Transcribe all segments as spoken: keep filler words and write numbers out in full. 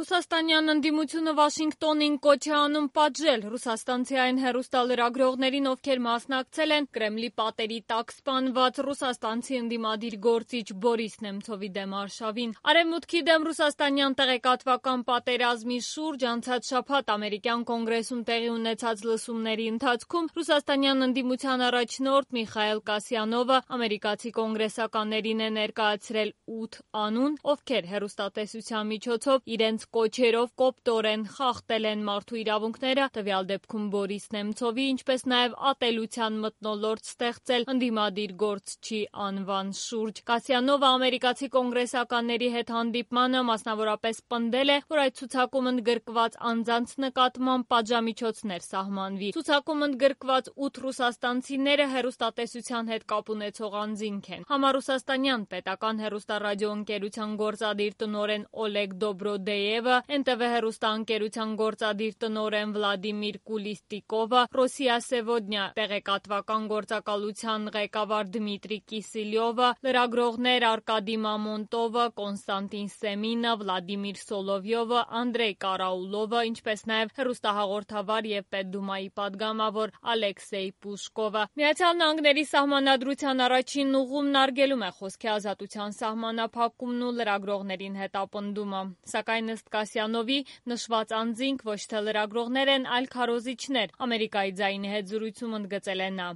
Ռուսաստանյան ընդդիմությունը Վաշինգտոնին կոչ է անում պատժել ռուսաստանցի այն հեռուստալրագրողներին, ովքեր մասնակցել են Կրեմլի պատերի տակ սպանված ռուսաստանցի ընդդիմադիր գործիչ Բորիս Նեմցովի դեմ արշավին։ Արևմուտքի դեմ ռուսաստանյան տեղեկատվական պատերազմի շուրջ անցած շաբաթ ամերիկյան կոնգրեսում տեղի ունեցած լսումների ընթացքում ռուսաստանյան ընդդիմության առաջնորդ Միխայել Կասյանովը ամերիկացի կոնգրեսականներին է ներկայացրել ութ անուն, ովքեր հեռուստատեսության միջոցով իրենց կոչերով կոպտորեն խախտել են մարդու իրավունքները, տվյալ դեպքում Բորիս Նեմցովի, ինչպես նաև ատելության մթնոլորտ ստեղծել ընդդիմադիր գործչի անվան շուրջ։ Կասյանովը ամերիկացի կոնգրեսականների հետ հանդիպմանը մասնավորապես պնդել է, որ այդ ցուցակում ընդգրկված անձանց նկատմամբ պատժամիջոցներ սահմանվի։ Ցուցակում ընդգրկված ութ ռուսաստանցիները հեռուստատեսության հետ կապ ունեցող անձինք են։ Համառուսաստանյան պետական հեռուստառադիոընկերության գործադիր տնօրեն Օլեգ Դոբրոդեևը, Էն Տե Վե հեռուստաընկերության գործադիր տնօրեն Վլադիմիր Կուլիստիկովը, Ռոսիա Սևոդնյա տեղեկատվական գործակալության ղեկավար Դմիտրի Կիսիլյովը, լրագրողներ Արկադի Մամոնտովը, Կոնստանտին Սեմինը, Վլադիմիր Սոլովյովը, Անդրեյ Կարաուլովը, ինչպես նաև հեռուստահաղորդավար և Պետդումայի падգամավոր Ալեքսեյ Պուշկովը։ Միացյալ Նահանգների սահմանադրության առաջին ուղումն արգելում է խոսքի ազատության սահմանափակումն ու լրագրողներին հետապնդումը։ Սակայն ըստ Կասյանովի, նշված անձինք ոչ թե լրագրողներ են, այլ քարոզիչներ։ Ամերիկայի ձայնի հետ զրույցում ընդգծել է նա.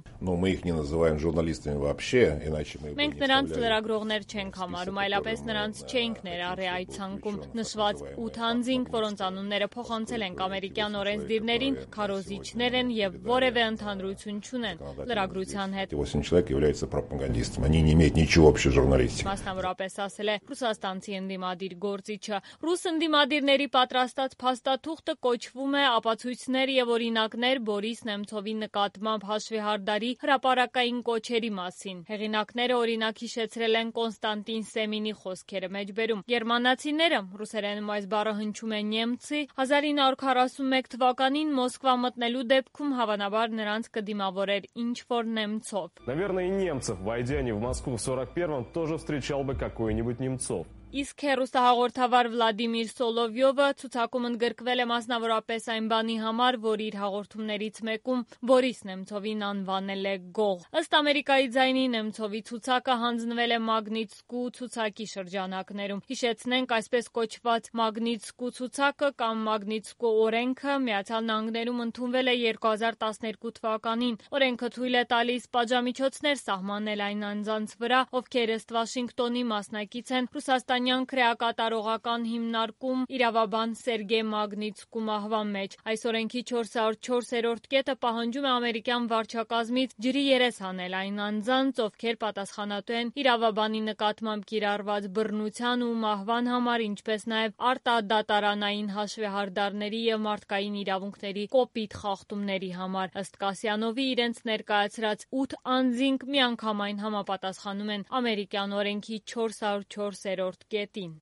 Մենք նրանց լրագրողներ չենք համարում, այլապես նրանց չէինք ներառի այդ ցանկում։ Նշված ութ անձինք, որոնց անունները փոխանցել ենք ամերիկյան օրենսդիրներին, քարոզիչներ են և որևէ ընդհանրություն չունեն լրագրության հետ։ Մասնավորապես ասել է ռուսաստանցի ընդդիմադիր գործիչը։ Ռուս ընդդիմադիրների պատրաստած փաստաթուղթը կոչվում է «Ապացույցներ և օրինակներ Բորիս Նեմցովի նկատմամբ հաշվեհարդարի հրապարակային կոչերի մասին»։ Հեղինակները օրինակ հիշեցրել են Կոնստանտին Սեմինի խոսքերը մեջբերում։ Գերմանացիները, ռուսերենում այս բառը հնչում է նեմցի, հազար ինը հարյուր քառասունմեկ թվականին Մոսկվա մտնելու դեպքում հավանաբար նրանց կդիմավորեր ինչ-որ Նեմցով։ Իսկ հեռուստահաղորդավար Վլադիմիր Սոլովյովը ցուցակում ընդգրկվել է մասնավորապես այն բանի համար, որ իր հաղորդումներից մեկում Բորիս Նեմցովին անվանել է գող։ Ըստ Ամերիկայի ձայնի Նեմցովի ցուցակը հանձնվել է Մագնիտսկու ցուցակի շրջանակներում։ Հիշեցնենք, այսպես կոչված Մագնիտսկու ցուցակը կամ Մագնիտսկու օրենքը Միացյալ Նահանգներում ընդունվել է երկու հազար տասներկու թվականին։ Օրենքը թույլ է տալիս պատժամիջոցներ սահմանել այն անձանց վրա, ովքեր ըստ Վաշինգտոնի մասնակից են ռուսաստանյան քրեակատարողական հիմնարկում իրավաբան Սերգեյ Մագնիտսկու մահվան մեջ։ Այս օրենքի չորս հարյուր չորսերորդ կետը պահանջում է ամերիկյան վարչակազմից ջրի երես հանել այն անձանց, ովքեր պատասխանատու են իրավաբանի նկատմամբ կիրառված բռնության ու մահվան համար, ինչպես նաև արտադատարանային հաշվեհարդարների և մարդկային իրավունքների կոպիտ խախտումների համար։ Ըստ Կասյանովի, իրենց ներկայացրած ութ անձինք միանգամայն համապատասխանում են ամերիկյան օրենքի չորս հարյուր չորսերորդ կետին։